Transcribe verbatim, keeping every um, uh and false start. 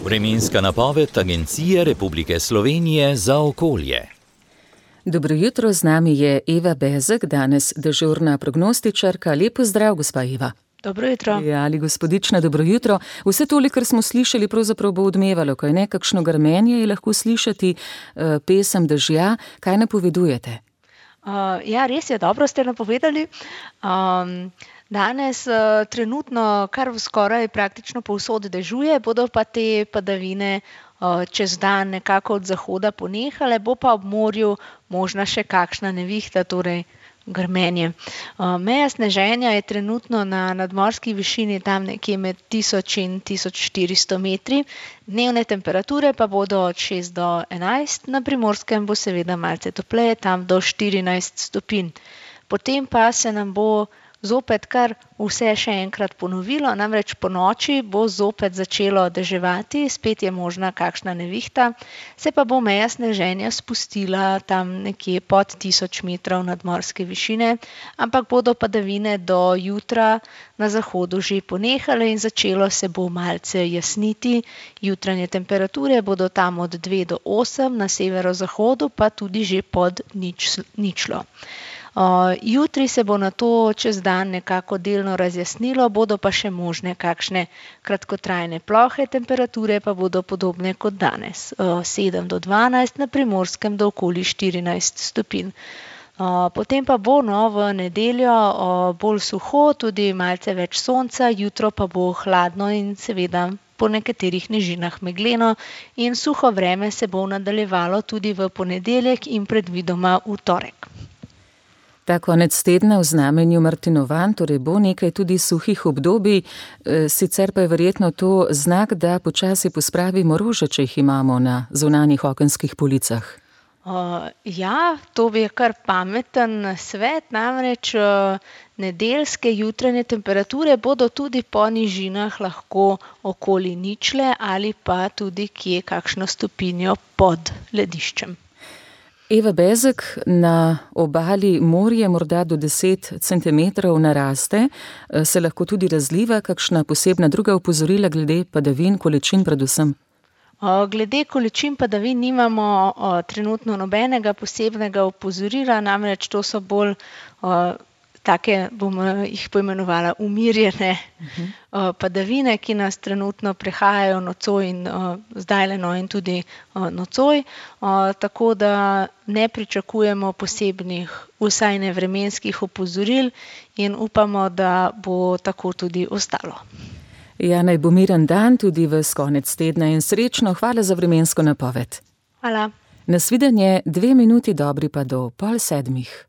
Vremenska napoved Agencije Republike Slovenije za okolje. Dobro jutro, z nami je Eva Bezek, danes dežurna prognostičarka. Lep pozdrav, gospa Eva. Dobro jutro. Ja, ali gospodična, dobro jutro. Vse tole, kar smo slišali, pravzaprav bo odmevalo, kaj ne, kakšno grmenje je lahko slišati, pesem dežja. Kaj napovedujete? Uh, ja, res je, dobro ste napovedali. Um, danes uh, trenutno kar skoraj praktično povsod dežuje, bodo pa te padavine uh, čez dan nekako od zahoda ponehale, bo pa ob morju možna še kakšna nevihta, torej grmenje. Uh, meja sneženja je trenutno na nadmorski višini tam nekje med tisoč in tisoč štiristo metri, dnevne temperature pa bodo od šest do enajst, na Primorskem bo seveda malce topleje, tam do štirinajst stopinj. Potem pa se nam bo zopet kar vse še enkrat ponovilo, namreč po noči bo zopet začelo deževati, spet je možna kakšna nevihta, se pa bo meja sneženja spustila tam nekje pod tisoč metrov nadmorske višine, ampak bodo padavine do jutra na zahodu že ponehale in začelo se bo malce jasniti. Jutranje temperature bodo tam od dve do osem, na severozahodu pa tudi že pod nič, ničlo. Uh, jutri se bo na to čez dan nekako delno razjasnilo, bodo pa še možne kakšne kratkotrajne plohe, temperature pa bodo podobne kot danes, uh, sedem do dvanajst, na Primorskem do okoli štirinajst stopinj. Uh, potem pa bo no, v nedeljo uh, bolj suho, tudi malce več sonca, jutro pa bo hladno in seveda po nekaterih nižinah megleno in suho vreme se bo nadaljevalo tudi v ponedeljek in predvidoma v torek. Ta konec tedna v znamenju Martinovanj, torej bo nekaj tudi suhih obdobij, sicer pa je verjetno to znak, da počasi pospravimo rože, če jih imamo na zunanjih okenskih policah. Uh, ja, to je kar pameten svet, namreč uh, nedeljske jutranje temperature bodo tudi po nižinah lahko okoli ničle ali pa tudi kje kakšno stopinjo pod lediščem. Eva Bezek, na obali morje morda do deset centimetrov naraste, se lahko tudi razliva, kakšna posebna druga opozorila glede padavin, količin predvsem? Glede količin padavin nimamo o, trenutno nobenega posebnega opozorila, namreč to so bolj o, take, bom jih poimenovala, umirjene uh-huh. o, padavine, ki nas trenutno prehajajo nocoj in o, zdajle no in tudi o, nocoj, o, tako da ne pričakujemo posebnih, vsaj ne vremenskih opozoril in upamo, da bo tako tudi ostalo. Ja, naj bo miren dan tudi ves konec tedna in srečno, hvala za vremensko napoved. Hvala. Nasvidenje, dve minuti dobri pa do pol sedmih.